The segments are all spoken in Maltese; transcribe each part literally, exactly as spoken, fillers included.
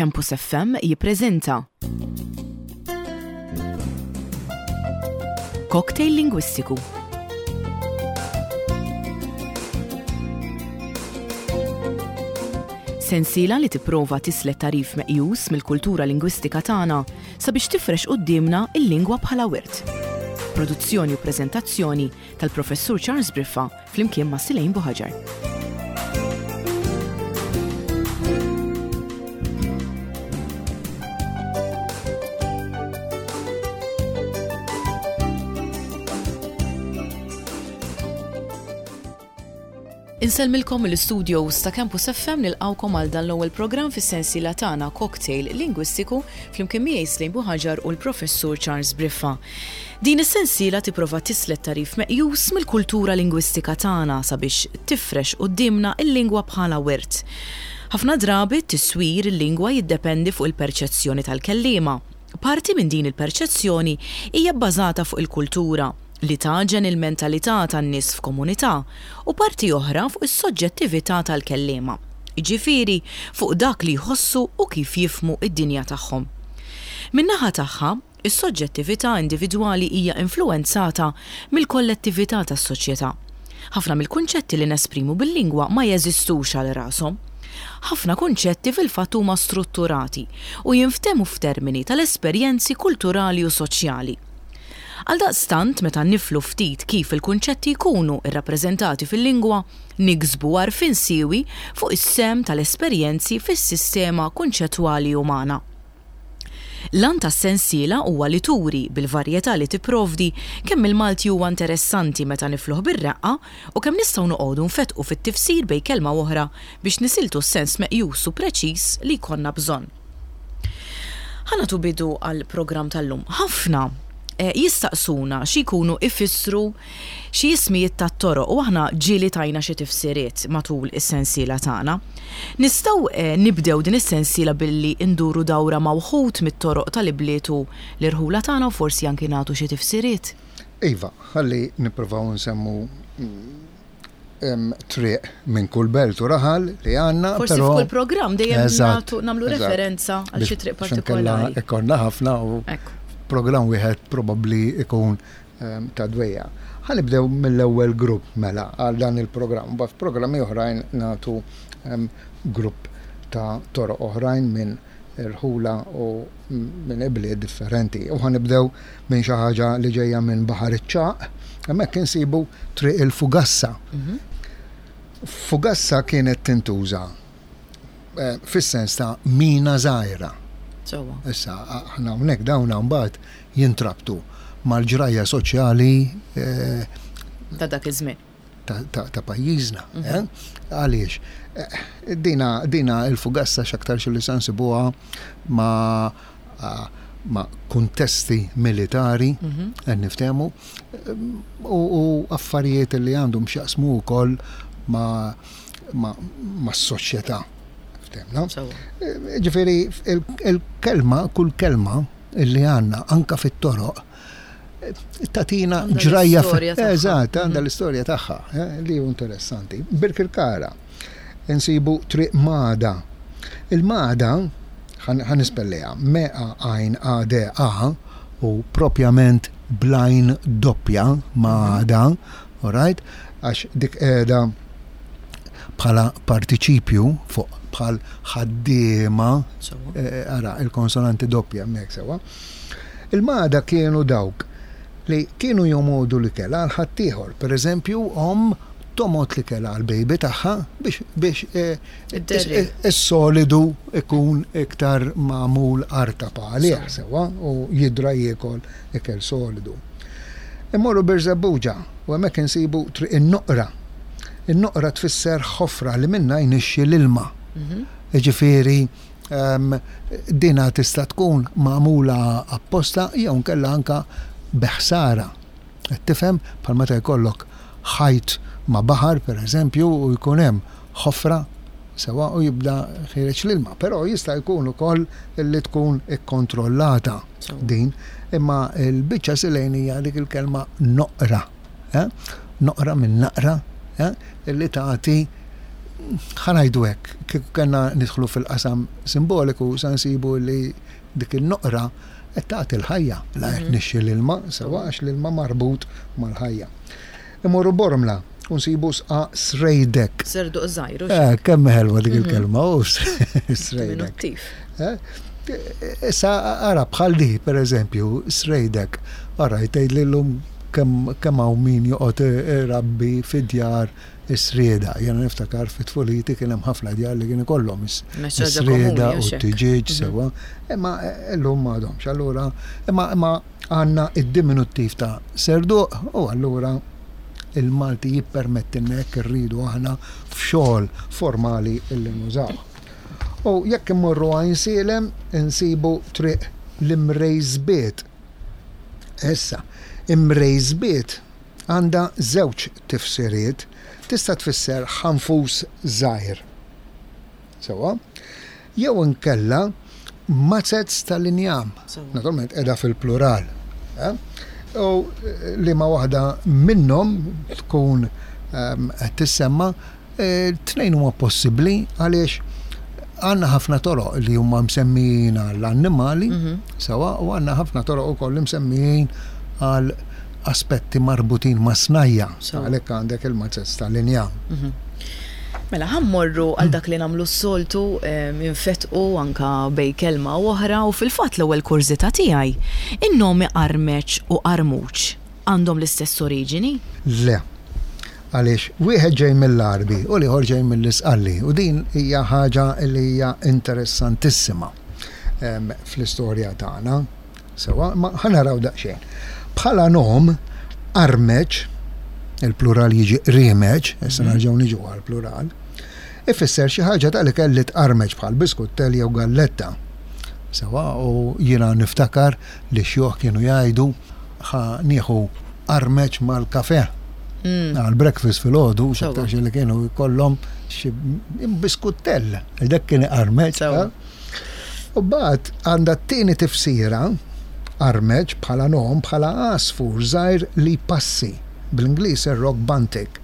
Campus F M jippreżenta Cocktail Lingwistiku. Sensiela li tipprova tislet tagħrif meqjus mill-kultura lingwistika tagħna sabiex tifrex quddiemna il-lingwa bħala wirt. Produzzjoni u preżentazzjoni tal-Professur Charles Briffa flimkien ma' Silejn Buħaġar. Insellmilkom mill-studios ta' Campus F M, nilqgħukom għal dan l-ewwel programm fis-sensiela tagħna Cocktail Lingwistiku flimkien miegħi Slejn Buħaġar u l-Professur Charles Briffa. Din is-sensiela tipprova tislet tagħrif meqjus mill-kultura lingwistika tagħna sabiex tifrex quddiemna il-lingwa bħala wirt. Ħafna drabi tiswir il-lingwa jiddependi fuq il-perċezzjoni tal-kelliema. Parti minn din il-perċezzjoni hija bbażata fuq il-kultura li taġen il-mentalità tan-nies f'komunità u parti oħra fuq is-soġġettività tal-kelliema. Jiġifieri fuq dak li jħossu u kif jifhmu id-dinja tagħhom. Min-naħa tagħha, is-soġġettività individwali hija influwenzata mill-kollettività tas-soċjetà. Ħafna mill-kunċetti li nesprimu bil-lingwa ma jeżistux għal rashom. Ħafna kunċetti fil-fatt huma strutturati u jinftehmu f'termini tal-esperjenzi kulturali u soċjali. Għaldaqstant, meta niflu ftit kif il-kunċetti jkunu irrappreżentati fil-lingwa, niksbu għarfien siewi fuq is-sehem tal-esperjenzi fis-sistema kunċettwali umana. L-għan tas-sensiela huwa li turi bil-varjetà li tipprovdi kemm il-Malti huwa interessanti meta nifluh bir-reqqa u kemm nistgħu noqogħdu nfetqu fit-tifsir bejn kelma oħra biex nisiltu s-sens meqjus u preċiż li jkollna bżonn. Ħa nagħtu bidu għall-programm tal-lum. Ħafna eh, jistaqsuna xi jkunu ifissru xi ismijiet tat-toroq u aħna ġieli tajna xi tifsiriet matul is-sensiela tagħna. Nistgħu eh, nibdew din is-sensiela billi nduru dawra ma' wħud mit-toroq tal-ibliet u l-irħula tagħna u forsi anki nagħtu xi tifsiriet. Iva, ħalli nippruvaw nsemmu mm, em, triq minn kull belt u raħal li għandna. Forsi però- f'kull programm dejjem Eżatt, nagħtu nagħmlu eżatt. referenza għal xi triq Biex inkella partikolari. Ikollna ħafna u Ekku. programm wieħed probabbli ikun em, ta' dwejja. Ħa nibdew mill-ewwel grupp mela għal dan il-programm. Ba f'programmi oħrajn nagħtu em, grupp ta' toroq oħrajn minn irħula u minn ibliet differenti. U ħa nibdew minn xi ħaġa li ġejja minn Baħar iċ-Ċagħaq, hemmhekk insibu Triq il-Fugassa. Mhm. Fugassa kienet tintuża eh, fis-sens ta' mina żgħira. Sewwa. Issa, aħna hawnhekk dawn mbagħad jintrabtu mal-ġrajja soċjali eh, Ta' dak iż-żmien. ta' ta' ta' pajjiżna. eh? Għaliex? Eh, Dina, dina il-fugassa x'aktarx li se nsibuha ma' ah, ma' kuntesti militari, Mhm. qed niftehmu, u, u affarijiet li għandhom x'jaqsmu wkoll ma' ma' ma' s-soċjetà. Ftehmna? Sewwa. Ġifieri, il- il-kelma, kull kelma illi għandna anka fit-toroq, tagħtina Għandha ġrajja. l-istorja tagħha. Eżatt, għandha Mhm. l-istorja tagħha, eh, li hu interessanti. Birkirkara, insibu Triq Mada. Il-Mada, ħa nispelliha, M A għajn A D A u propjament bl-għajn doppja, Mada, alright? Għax dik qiegħda bħala partiċipju fuq bħal ħaddiema, Sewwa. eh, ara, il-konsonanti doppja hemmhekk sewwa. Il-mada kienu dawk li kienu jomogħdu l-ikel għal ħaddieħor. Per eżempju, om tomgħod l-ikel għal baby tagħha biex biex eh, Id-derri. is- is-solidu ikun iktar magħmul artab għalih sewwa u jidra jiekol ikel solidu. Immorru Birżebbuġa u hemmhekk insibu Triq in-Noqra. In-noqra tfisser ħofra li minna jnixxi l-ilma. Mhm. Ġifieri, um, dina tista' tkun magħmula apposta jew nkella anka beħsara. Qed tifhem, bħal meta jkollok ħajt ma' baħar, per eżempju, u jkun hemm ħofra sewwa u jibda ħiereġ l-ilma, però jista' jkun ukoll li tkun ikkontrollata Sewwa. din, imma l-biċċa silejn hija dik il-kelma noqra. Eh? Noqra minn naqra, eh? Illi tagħti Ħa ngħidu hekk, kieku kellna nidħlu fil-qasam simboliku, sa nsibu li dik il-noqra qed tagħti l-ħajja, la qed nixxi l-ilma, sewa, għax l-ilma marbut mal-ħajja. Imorru Bormla, u nsibu sqa srejdek. Serduq żgħir. Eh, kemm ħelwa dik il-kelma, u srejdek. Diminuttiv. Eh? Issa ara bħal di, per eżempju, srejdek. Ara, jtgħid li llum kemm kemm hawn min joqgħod irabbi fid-djar is-srieda. Jiena niftakar fit-tfuliti kien hemm ħafna djar li kien ikollhom is- Mhux ħaġa is-srieda komuni, u hux hekk. t-tiġieġ sewa. Imma llum m'għadhomx. Allura, imma imma għandna id-diminuttiv ta' serduq u allura il-Malti jippermettilna jekk irridu aħna f'xogħol formali illi nużaw. U jekk immorru Għajnsielem insibu triq l-Imrejżbiet. Issa, Imrejżbiet għandha żewġ tifsiriet. Tista' tfisser ħanfus żgħir. Sewa? Jew inkella mazez tal-injam. Sewa. Naturalment qiegħda fil-plural. Eh? U eh, li ma waħda minnhom tkun ehm, qed tissemma, eh, tnejn huma possibbli għaliex għandna ħafna toroq li huma msemmijin għall-annimali, sewa, u għandna ħafna toroq ukoll msemmijin għal aspetti marbutin ma' snajja. Sewa. Għalhekk għandek il-mazez tal-injam. Mela, ħa mmorru għal dak li nagħmlu s-soltu, infetqu anka bejn kelma u oħra, u fil-fatt l-ewwel kurżità tiegħi, in-nomi Qarmeċ u Qarmuċ għandhom l-istess oriġini? Le. Għaliex wieħed ġej mill-Għarbi u l-ieħor ġej mill-Isqalli, u din hija ħaġa li hija interessantissima, em, fl-istorja tagħna. Sewa, ma ħa naraw daqsxejn. Bħala nom, Qarmeċ, il-plural jiġi rimeċ, issa nerġgħu niġu għall-plural, ifisser xi ħaġa tal-ikel li tqarmeċ bħal biskuttel jew galletta. Sewa, u jiena niftakar li xjuħ kienu jgħidu ħa nieħu qarmeċ mal-kafe. Għal breakfast fil-ħodu, Sewa. xaktarx li kienu jkollhom xi biskuttell, dak kien iqarmeċ. Sewa. eh? U mbagħad għandha t-tieni tifsira, qarmeċ bħala nom, bħala għasfur żgħir li passi, bl-Ingliż ir-rock bunting.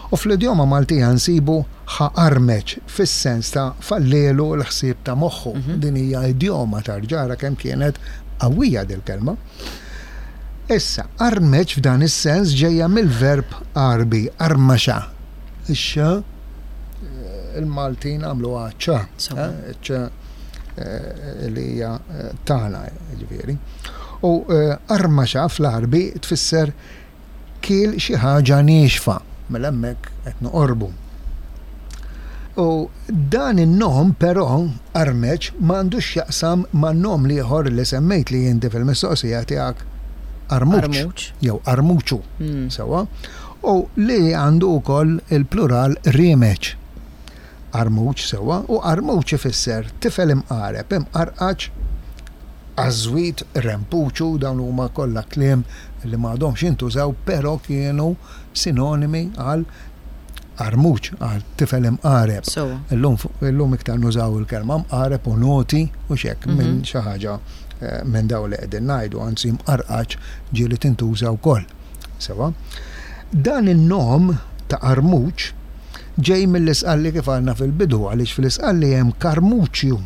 U fl-idjoma Maltija nsibu ħa qarmeċ fis-sens ta' fallelu l-ħsieb ta' moħħu. Din hija idjoma tarġara kemm kienet qawwija dil-kelma. Issa, qarmeċ f'dan is-sens ġejja mill-verb Għarbi, armaxa. Ix il-Maltin għamlu ċa, Sewa. eh, ċ eh, li hija eh, tagħna, ġifieri. U eh, armaxa fl-Għarbi tfisser kiel xi ħaġa niexfa, mela hemmhekk qed noqorbu. U dan in-nom però qarmeċ m'għandux x'jaqsam man-nom l-ieħor li semmejt li inti fil-mistoqsija tiegħek, armuċ Armuċ. jew armuċu, Mm. sewa, u li għandu wkoll il-plural rimeċ. Armuċ, sewa, u armuċ ifisser tifel imqareb, imqarqaċ, għażwit, rempuċu, dawn huma kollha kliem li m'għadhomx jintużaw, però kienu sinonimi għal armuċ, għal tifel imqareb. Sewa. Illum, illum iktar nużaw il-kelma mqareb u naughty u xek minn xi ħaġa eh, minn daw li qegħdin ngħidu, anzi mqarqaċ ġieli tintuża wkoll. Sewa. Dan in-nom ta' armuċ ġej mill-Isqalli kif għandna fil-bidu, għaliex fil-Isqalli hemm karmuċju.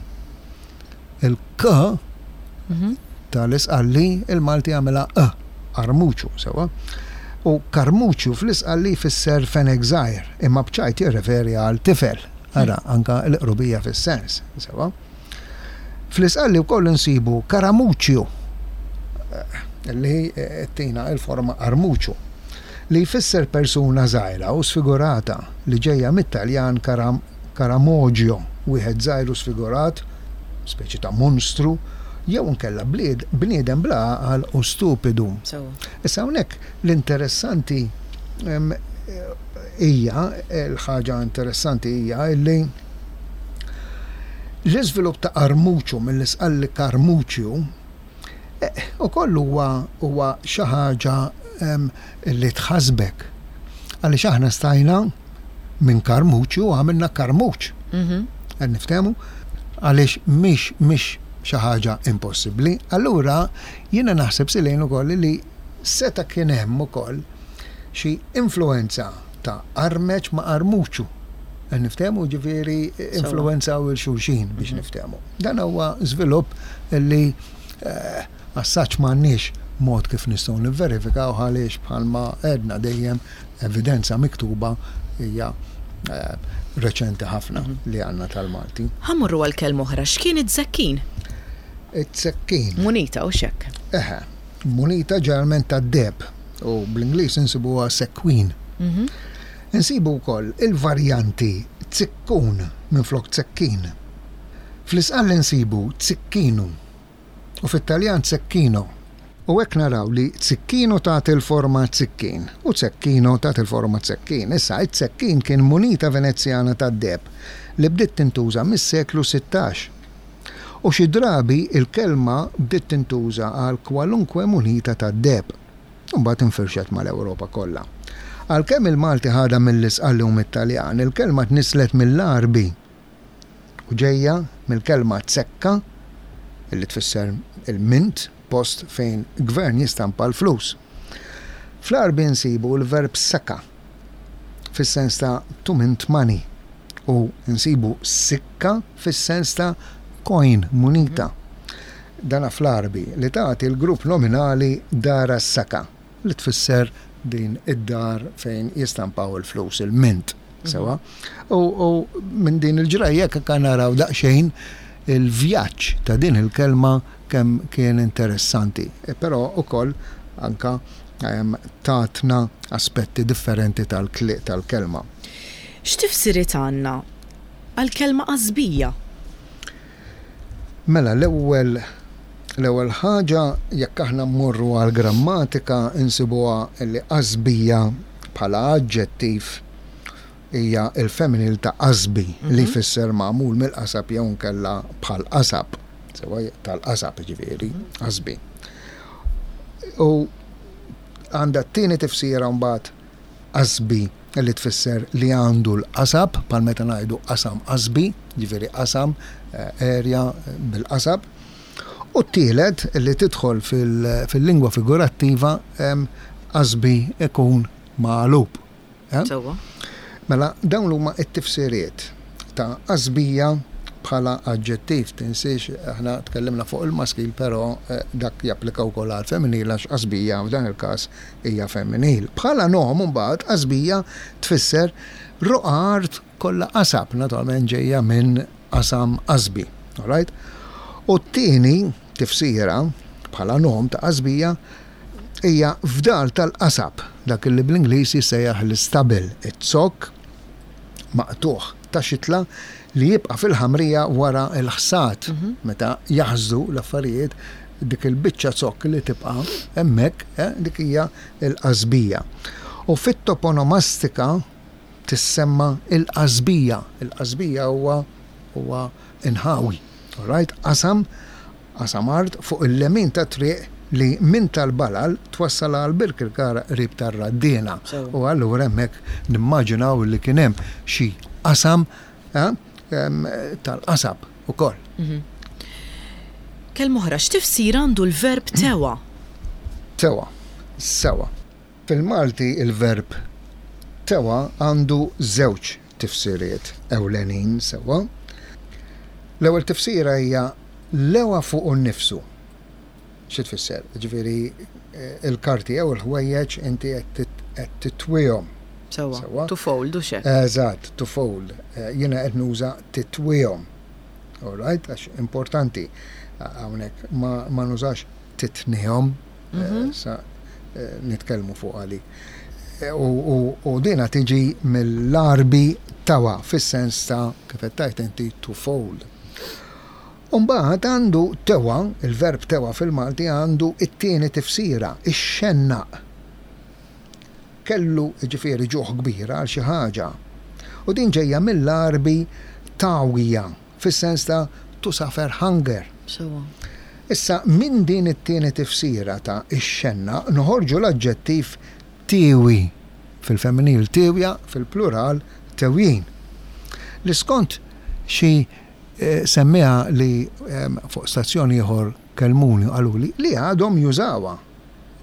Il-k tal-Isqalli il-Malti għamela e, armuċu, sewa. U karmuċju fl-Isqalli jfisser fenek żgħir, imma bċajt jirreferi għal tifel. Ara, anka l-qrubija fis-sens, sewa. Fl-Isqalli wkoll insibu karamuċju, eh, li tina il-forma armuċu, li jfisser persuna żgħira u sfigurata li ġejja mit-Taljan karam, karamoġio, wieħed żgħir u sfigurat, speċi ta' monstru, jew nkella blied bniedem bla għaqal u stupidu. Sewa. Issa hawnhekk l-interessanti em, hija, l-ħaġa interessanti hija illi l-iżvilupp ta' armuċu mill-Isqalli karmuċju eh, ukoll huwa huwa xi ħaġa em, li tħasbek. Għaliex aħna stajna minn karmuċju għamilna karmuċ. Mhm. Qed niftehmu? Għaliex mhix mhix xi ħaġa impossibbli. Allura jiena naħseb silejn ukoll li seta' kien hemm ukoll xi influenza ta' armeċ ma' armuċu. Niftehmu, ġifieri influenzaw 'il xulxin biex niftehmu. Dan huwa żvilupp li eh, assaċ m'għandniex mod kif nistgħu nivverifikaw, għaliex bħalma għedna dejjem, evidenza miktuba hija eh, reċenti ħafna li għandna tal-Malti. Ħa mmorru għal kelma oħra, x'kien it-zekkin? It-zekkin. Munita u xek. Eħe, munita ġeneralment tad-deheb u bl-Ingliż insibuha sequin. Insibu wkoll il-varjanti zikkun minflok zekkin. Fl-Isqalli insibu zikkinu u fit-Taljan zecchino. U hekk naraw li zikkinu tagħti l-forma zikkin u zecchino tagħti l-forma zekkin. Issa, it-zekkin kien munita Venezjana tad-deheb li bdiet tintuża mis-seklu sittax. U xi drabi il-kelma bdiet tintuża għal kwalunkwe munita tad-deheb. Mbagħad infirxet mal-Ewropa kollha. Għalkemm il-Malti ħadha mill-Isqalli u mit-Taljan, il-kelma tnislet mill-Għarbi u ġejja mill-kelma zekka, illi tfisser il-mint, post fejn gvern jistampa l-flus. Fl-Għarbi nsibu l-verb saka, fis-sens ta' to mint money, u nsibu sikka fis-sens ta' coin, munita. Dana fl-Għarbi, li tagħti l-grupp nominali dara saka, li tfisser din id-dar fejn jistampaw il-flus, il-mint. Sewa. U, u minn din il-ġrajja kan naraw daqsxejn il-vjaġġ ta' din il-kelma kemm kien interessanti. E però ukoll anka em, tatna aspetti differenti tal-kli- tal-kelma. X'tifsiriet għandna għal-kelma qasbija? Mela, l-ewwel l-ewwel ħaġa, jekk aħna mmorru għal grammatika, insibuha li qasbija bħala aġġettiv hija il-femminil ta' qasbi, li jfisser magħmul mill-qasab jew nkella bħal qasab. Sewa, tal-qasab ġifieri, qasbi. U għandha t-tieni tifsira mbagħad qasbi, li tfisser li għandu l-qasab, bħal meta ngħidu qasam qasbi, ġifieri qasam, eh, area eh, bil-qasab. U t-tielet li tidħol fil- fil-lingwa figurattiva, em, qasbi ikun magħlub. Eh? Sewa. Mela, dawn huma t-tifsiriet ta' qasbija bħala aġġettiv. Tinsiex, aħna tkellimna fuq il-maskil, però eh, dak japplika wkoll għal femminil, għax qasbija f'dan il-każ hija femminil. Bħala nom mbagħad, qasbija tfisser roqgħa art kollha qasab, naturalment ġejja minn qasam qasbi. Alright? U t-tieni tifsira bħala nom ta' qasbija hija fdal tal-qasab, dak li bl-Ingliż jissejjaħ l-stubble, it-zokk maqtuħ ta' xitla li jibqa' fil-ħamrija wara l-ħsad, meta jaħżdu l-affarijiet, dik il-biċċa zokk li tibqa' hemmhekk, eh, dik hija l-qasbija. U fit-toponomastika tissemma il-qasbija. Il-qasbija huwa huwa inħawi. Alright? Qasam qasam art fuq il-lemin ta' triq li minn tal-Balal twassal għal Birkirkara qrib tar-Raddiena. Sewa. U allura hemmhekk nimmaġinaw li kien hemm xi qasam eh, em, tal-qasab ukoll. Kelma oħra, x'tifsir għandu l-verb tewa? Tewa, sewa. Fil-Malti il-verb tewa għandu żewġ tifsiriet ewlenin, sewa. L-ewwel tifsira hija lewa fuq nnifsu. Xi tfisser? Ġifieri eh, il-karti jew il-ħwejjeġ inti qed tit- qed titwihom. Sewa. Sewa. To fold u xek. Eżatt, to fold. Eh, Jiena qed nuża titwihom. All right, għax importanti hawnhekk ma, ma nużax titnihom, eh, sa eh, nitkellmu fuq għali. Eh, U, u, u dina tiġi mill-Għarbi tawa, fis-sens ta' kif qed tgħid inti, to fold. Umbagħad għandu tewa, il-verb tewa fil-Malti għandu it-tieni tifsira, ix-xennaq. Kellu ġifieri ġuħ kbir għal xi ħaġa. U din ġejja mill-Għarbi tawija, fis-sens ta' to suffer hunger. Sewa. Issa, minn din it-tieni tifsira ta' ix-xenna noħorġu l-aġġettiv tiwi, fil-femminil tiwja, fil-plural tewjin. Li skont xi eh, semmiha li em, fuq stazzjoni ieħor kelmuni u qaluli li għadhom jużawha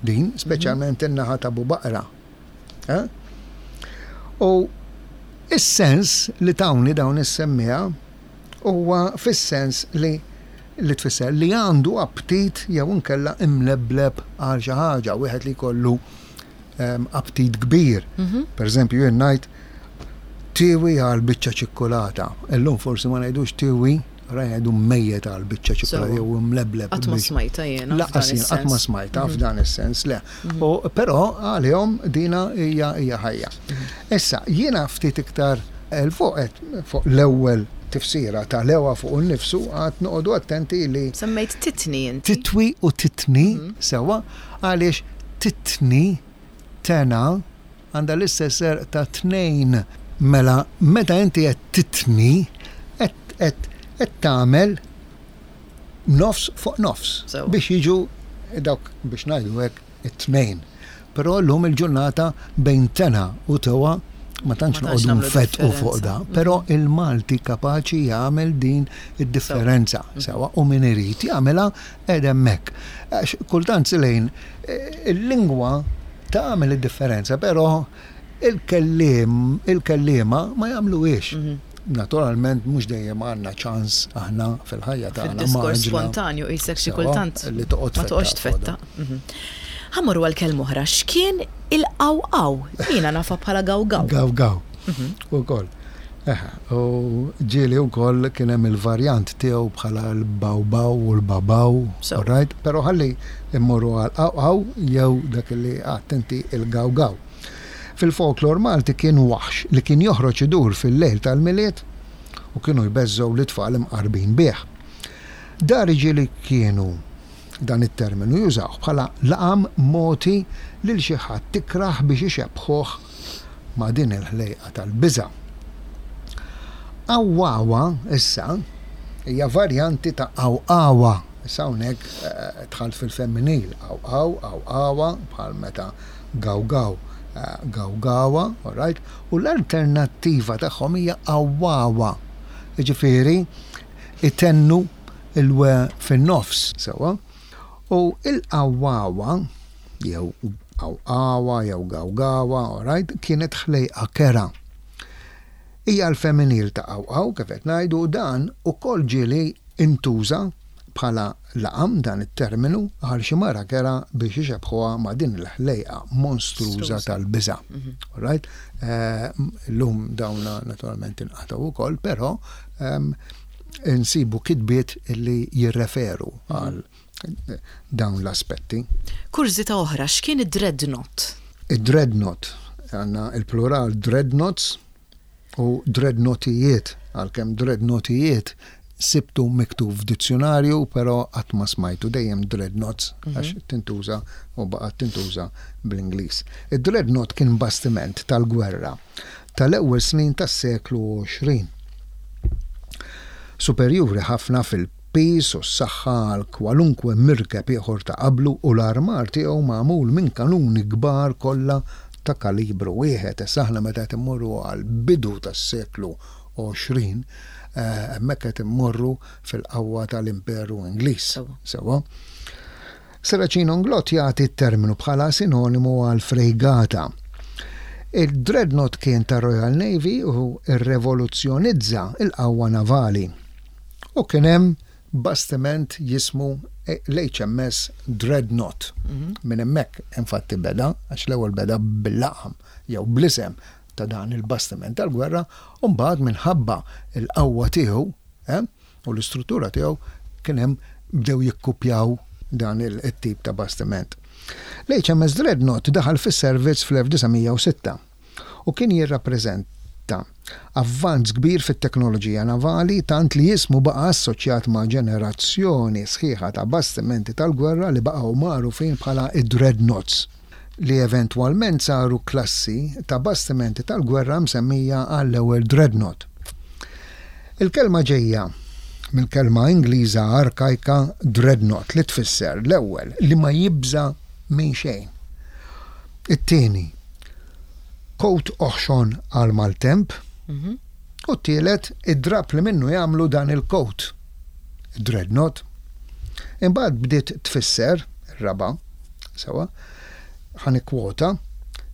din, speċjalment in-naħa ta' Bubaqra. Eh? U Is-sens li tawni dawn is-semmiegħa huwa fis-sens li li tfisser li għandu aptit jew inkella imlebleb għal xi ħaġa, wieħed li jkollu ehm, aptit kbir. Mhm. Per eżempju, jien ngħid tiwi għal biċċa ċikkulata. Illum forsi ma ngħidux tiwi, ra ngħidu mejjet għal biċċa ċikkulata Sewwa. jew imlebleb. Qatt ma biex- smajta jiena. Lanqas f'dan jien qatt ma is-sens. smajta f'dan is-sens, le. U però għalihom dina hija hija ħajja. Issa, jiena ftit iktar 'il fuq qed- fuq l-ewwel tifsira ta' lewa fuq innifsu għad noqogħdu attenti li Semmejt titni inti. titwi u titni sewwa, għaliex titni tena għandha l-istess għerq ta' tnejn. Mela meta inti qed titni qed qed qed tagħmel nofs fuq nofs Sewwa. biex jiġu dawk, biex ngħidu hekk, it-tnejn. Però llum il-ġurnata bejn tena u tewa ma tantx Ma tantx noqogħdu nagħmlu nfettqu fuq differenza. da, però il-Malti kapaċi jagħmel din id-differenza sewwa, u min irid jagħmilha qed hemmhekk. Għax kultant lejn eh, il-lingwa tagħmel id-differenza, però il-kelliem, il-kelliema ma jagħmluhiex. Mhm. Naturalment mhux dejjem għandna ċans aħna fil-ħajja tagħna Fil-diskors mgħaġġla spontanju qisek xi sewwa, kultant li toqgħod ma toqgħodx tfetta tfetta. Mhm. Ħa mmorru għal kelma oħra, x'kien il-qawqaw? Jiena nafha bħala gawgaw. Gaw gaw. U koll. Eħe, u ġieli u koll kien hemm il-varjant tiegħu bħala l-bawbaw u l-babaw, So. right? Però ħalli immorru għal qawqaw jew dak li għedt inti il-gawgaw. Fil-folklor Malti kien waħx li kien joħroġ idur fil-lejl tal-Milied u kienu jbeżżgħu l-tfal imqarbin bih. Dari ġieli kienu dan it-terminu jużaw bħala laqam mogħti lil xi ħadd tikrah biex ixebbħuh ma' din il-ħlejqa tal-biża. Awwawa issa hija varjanti ta' awqawa. Issa hawnhekk eh, dħalt fil-femminil, awqaw, awqawa, bħal meta gawgaw, eh, gawgawa, all right? U l-alternattiva tagħhom hija awwawa. Jiġifieri itennu il-we fin-nofs, sewwa. U il-awwawa jew awqawa jew gawgawa, all right, kienet ħlejqa kerha. Hija l-femminil ta' awqaw, kif qed ngħidu, dan ukoll ġieli intuża bħala laqam dan it-terminu għal xi mara kerha biex ixebbħuha ma' din il-ħlejqa monstruża Monstruża. tal-biża'. All right? Eh, Illum dawna naturalment inqatgħu ukoll, però ehm, insibu kitbiet li jirreferu għal dawn l-aspetti. Kurżità oħra, x'kien id-dreadnought? Id-dreadnought, għandna il-plural dreadnoughts u dreadnoughtijiet, għalkemm dreadnoughtijiet sibtu miktub f'dizzjonarju, però qatt ma smajtu, dejjem dreadnoughts għax tintuża u baqgħet tintuża bl-Ingliż. Id-dreadnought kien bastiment tal-gwerra tal-ewwel snin tas-seklu għoxrin. Superjuri ħafna fil-pis u s-saħħa għal kwalunkwe mirkeb ieħor ta' qablu u l-armar tiegħu magħmul minn kanuni kbar kollha ta' kalibru wieħed. Issa aħna meta qed immorru għal bidu tas-seklu għoxrin, eh, hemmhekk qed immorru fil-qawwa tal-Imperu Ingliż. Sewwa. Sewwa. Serracino Inglott jagħti t-terminu bħala sinonimu għal frejgata. Il-Dreadnought kien ta' Royal Navy u irrevoluzzjonizza il-qawwa navali. U kien hemm bastiment jismu l-H M S Dreadnought. Minn hemmhekk infatti beda, għax l-ewwel beda bil-laqam jew bl-isem ta' dan il-bastiment tal-gwerra, u mbagħad minħabba il-qawwa tiegħu eh, u l-istruttura tiegħu kien hemm bdew jikkupjaw dan il-tip ta' bastiment. L-H M S Dreadnought daħal fis-servizz fl-elf disa' mija u sitta u kien jirrappreżenta avvanz kbir fit-teknoloġija navali, tant li jismu baqa' assoċjat ma' ġenerazzjoni sħiħa ta' bastimenti tal-gwerra li baqgħu magħrufin bħala id-Dreadnoughts, li eventwalment saru klassi ta' bastimenti tal-gwerra msemmija għall-ewwel Dreadnought. Il-kelma ġejja mill-kelma Ingliża arkajka dreadnought, li tfisser l-ewwel li ma jibża minn xejn. It-tieni, kowt oħxon għal maltemp, u t-tielet, id-drap li minnu jagħmlu dan il-kowt, dreadnought. Imbagħad bdiet tfisser, ir-raba, sewwa, ħa nikkwota,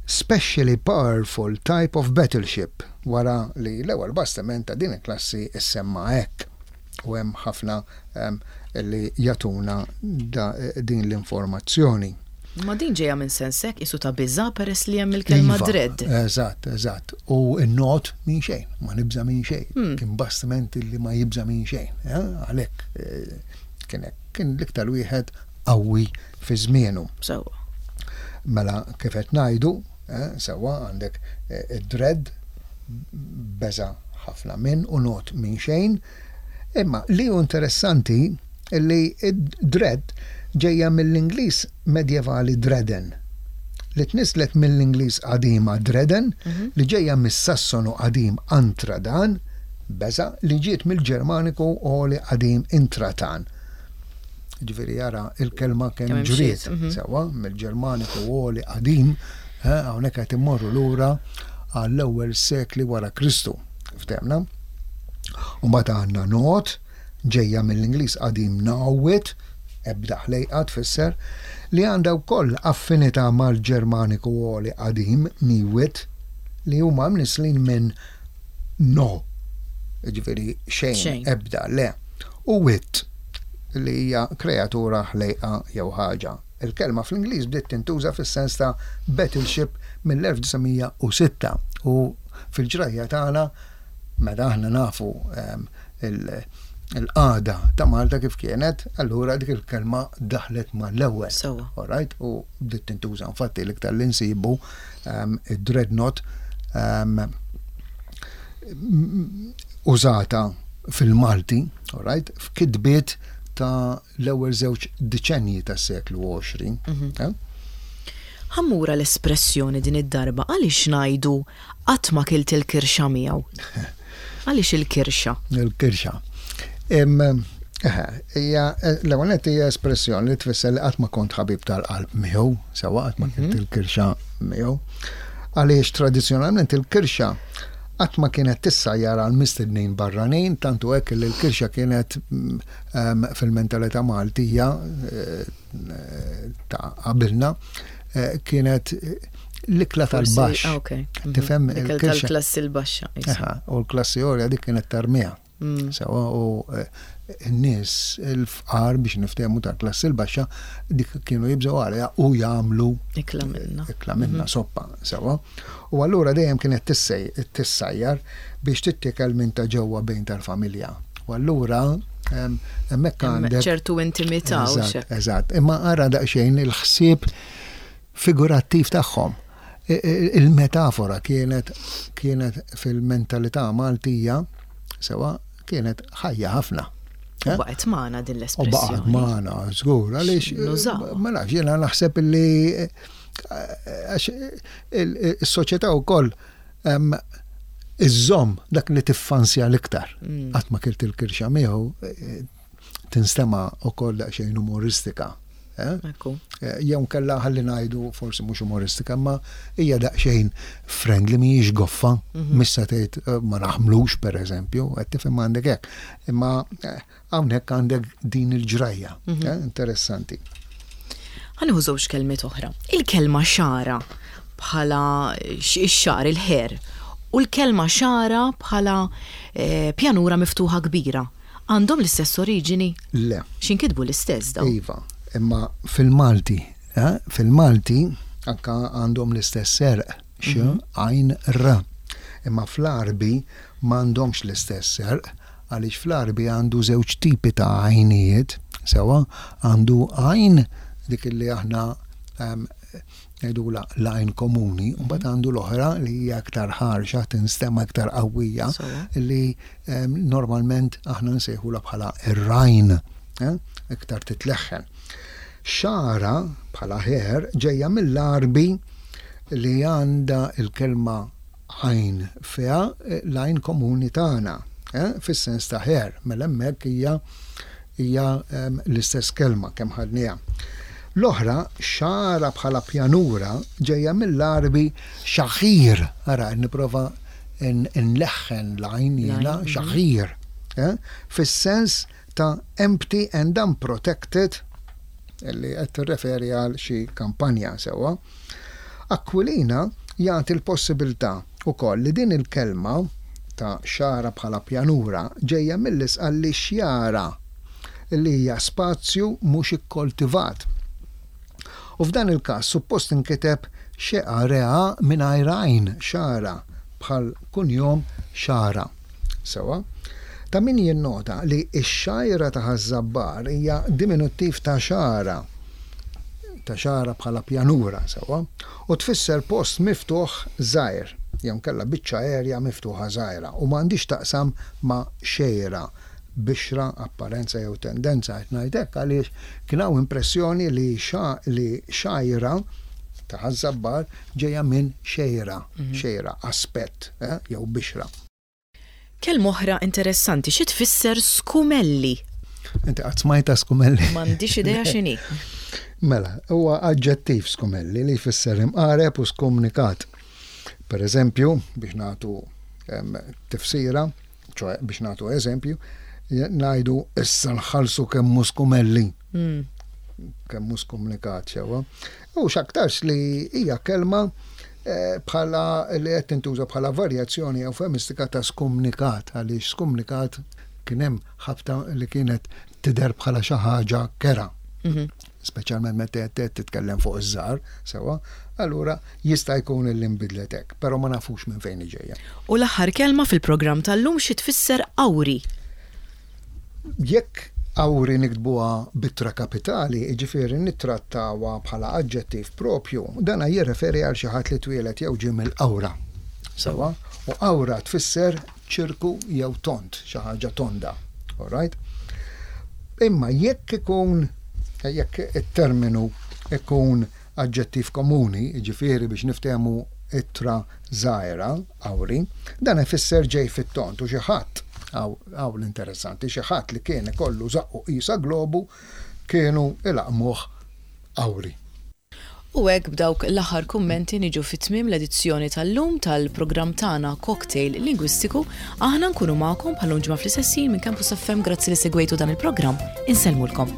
Specially Powerful Type of Battleship, wara li l-ewwel bastiment ta' din il-klassi issemma hekk. U hemm ħafna em, li jagħtuna da- din l-informazzjoni. Ma din ġejja minn sensek isu ta' biża peress li hemm il-kelma Iva, dread. Eżatt, eżatt. U n-not minn xejn, ma nibża minn xejn. Hmm. Kien bastiment li ma jibża minn xejn. eh? Għalhekk eh, kien hekk. Kien l-iktar wieħed qawwi fi żmienu. Sewwa. Mela kif qed ngħidu, eh, sewwa għandek eh, id-dread beża ħafna minn u not minn xejn. Imma li hu interessanti li id-dread ġejja mill-Ingliż medjevali dredden, li tnislet mill-Ingliż qadima dreden, li ġejja mis-Sassonu qadim antradan, beża, li ġiet mill-Ġermaniku oli qadim intratan. Ġifieri jara il-kelma kemm Kemm ġriet, imxiet, mhm. sewwa, mill-Ġermaniku oli qadim, eh, hawnhekk qed immorru lura għall-ewwel sekli wara Kristu. Ftehmna? U mbagħad għandna not, ġejja mill-Ingliż qadim nawit, ebda ħlejqa tfisser, li għandha wkoll affinità mal-Ġermaniku oli qadim niwit, li huma mnislin minn no, ġifieri xejn, Xejn. ebda, le, u wit, li hija kreatura, ħlejqa jew ħaġa. Il-kelma fl-Ingliż bdiet tintuża fis-sens ta' battleship mill-elf disa' mija u sitta u fil-ġrajja tagħna meta aħna nafu em, il- il-qagħda ta' Malta kif kienet, allura dik il-kelma daħlet mal-ewwel. Sewwa. Alright, u bdiet tintuża, infatti l-iktar li nsibu um, id-dreadnought um, użata fil-Malti, alright, f'kitbiet ta' l-ewwel żewġ deċenji tas-seklu għoxrin. eh? Ħa mmur l-espressjoni din id-darba. Għaliex ngħidu "qatt ma kilt il-kirxa miegħu"? Għaliex il-kirxa? Il-kirxa. Em, eħe, hija l-ewwel nett hija espressjoni li tfisser li qatt ma kont ħabib tal-qalb miegħu, sewwa, qatt ma kilt il-kirxa miegħu. Għaliex tradizzjonalment il-kirxa qatt ma kienet tissajjar għal mistednin barranin, tantu hekk li l-kirxa kienet mm, em, fil-mentalità Maltija eh, ta' qabilna eh, kienet eh, l-ikla Forsi- tal-baxx. ah, ok. Mhm. Tifhem L-ikel il-kirxa. tal-klassi l-baxxa. Isa. Eħa, u l-klassi għolja dik kienet tarmiha. Mm. Sewwa, u eh, n-nies il-fqar, biex niftehmu, tal-klassi l-baxxa, dik kienu jibżgħu għaliha u jagħmlu Ikla minna. Ikla minna, soppa, sewwa. U allura dejjem kienet tissej, tissajjar biex tittikel minn ta' ġewwa bejn tal-familja. U allura em, hemmhekk Hemm għandek ċertu intimità u Eżatt, xek. eżatt. Imma ara daqsxejn il-ħsieb figurattiv tagħhom. I- i- Il-metafora kienet kienet fil-mentalità Maltija, sewwa, kienet ħajja ħafna. U Eh? baqgħet magħna din U baqgħet l-espressjoni. magħna, żgur, għaliex Nużaw. ma nafx, jiena naħseb illi eh, għax il- is-soċjetà wkoll em, iżżomm dak li tiffansja l-iktar. Mm. "Qatt ma kilt il-kirxa miegħu" eh, tinstema' ukoll daqsxejn umoristika. Eh? Ekku. Eh, Jew kella ħalli ngħidu forsi mhux umoristika, ma hija daqsxejn friendly, mhijiex goffa, missa tgħid eh, ma naħmlux, pereżempju, qed tifhem, għandek hekk. Imma eh, hawnhekk għandek din il-ġrajja, eh, interessanti. Ħa nieħu żewġ kelmiet oħra. Il-kelma xara bħala x- ix-xagħar, il-hair, u l-kelma xara bħala eh, pjanura miftuħa kbira. Għandhom l-istess oriġini? Le. X'inkitbu l-istess daw? Iva, imma fil-Malti, eh, fil-Malti anka għandhom l-istess għerq, x, għajn, r. Imma fl-Arbi m'għandhomx l-istess għerq, għaliex fl-Arbi għandu żewġ tipi ta' għajnijiet, sewwa, għandu għajn dik li aħna em, ngħidula l-għajn komuni, u mbagħad għandu l-oħra li hija aktar ħarxa, tinstema aktar qawwija, Sewwa. li em, normalment aħna nsejħula bħala ir-rajn, eh, iktar titleħħen. Xara bħala hair ġejja mill-Arbi li għandha il-kelma għajn fiha, eh, l-għajn komuni tagħna, eh, fis-sens ta' hair, mela hemmhekk hija hija em, l-istess kelma kemm ħadniha. L-oħra, xara bħala pjanura, ġejja mill-Arbi xaħir. Ara, nipprova nleħħen l-għajn jiena, L-għajn, mhm. xaħir. Eh? Fis-sens ta' empty and unprotected, li qed tirreferi għal xi kampanja, sewwa. Aquilina jagħti l-possibilità wkoll li din il-kelma ta' xagħra bħala pjanura ġejja mill-Isqalli xjara, li hija spazju mhux ikkoltivat. U f'dan il-każ suppost inkiteb xeqa rea mingħajr għajn, xara, bħal kunjom Xara. Sewa? Ta' min jinnota li x-xajra ta' Ħaż-Żabbar hija diminuttiv ta' xara, ta' xara bħala pjanura, sewa, u tfisser post miftuħ żgħir, jew inkella biċċa erja miftuħa żgħira, u m'għandhiex taqsam ma' xejra, bixra, apparenza jew tendenza. Qed ngħid hekk għaliex kien hawn impressjoni li xa, li xajra ta' Ħaż-Żabbar ġejja minn xejra, xejra, aspett, eh, jew bixra. Kelma oħra interessanti, xi tfisser skumelli? Inti qatt smajta skumelli? M'għandix idea x'inhi. Mela, huwa aġġettiv skumelli li jfisser imqareb u skumnikat. Per eżempju, biex nagħtu em, tifsira, ċoè biex nagħtu eżempju, ngħidu issa nħallsu kemm hu skumelli. Mm. Kemm hu skumnikat sewa. U x'aktarx li hija kelma eh, bħala li qed tintuża bħala varjazzjoni eufemistika ta' skumnikat, għaliex skumnikat kien hemm ħabta li kienet tidher bħala xi ħaġa kera. Mhm. Speċjalment meta qed titkellem fuq iż-żgħar, sewa, allura jista' jkun li nbidlet hekk, però ma nafux minn fejn ġejja. U l-aħħar kelma fil-programm tal-lum, xi tfisser awri? Jekk awri niktbuha b'ittra kapitali, jiġifieri nittrattawha bħala aġġettiv propju, dana jirreferi għal xi ħadd li twieled jew ġie mill-awra. Sewa, u awra tfisser ċirku jew tond, xi ħaġa tonda. All right? Imma jekk ikun jekk it-terminu ikun aġġettiv komuni, jiġifieri biex niftehmu ittra żgħira, awri, dan ifisser ġej fit-tond u xi ħadd, hawn l-interessanti, xi ħadd li kien ikollu żaqqu qisha globu kienu ilaqmuh awri. U hekk b'dawk l-aħħar kummenti niġu fit-tmiem l-edizzjoni tal-lum tal-programm tagħna Cocktail Lingwistiku. Aħna nkunu magħkom bħal ġimgħa fl-istess ħin minn Campus F M. Grazzi li segwejtu dan il-programm. Insellmulkom.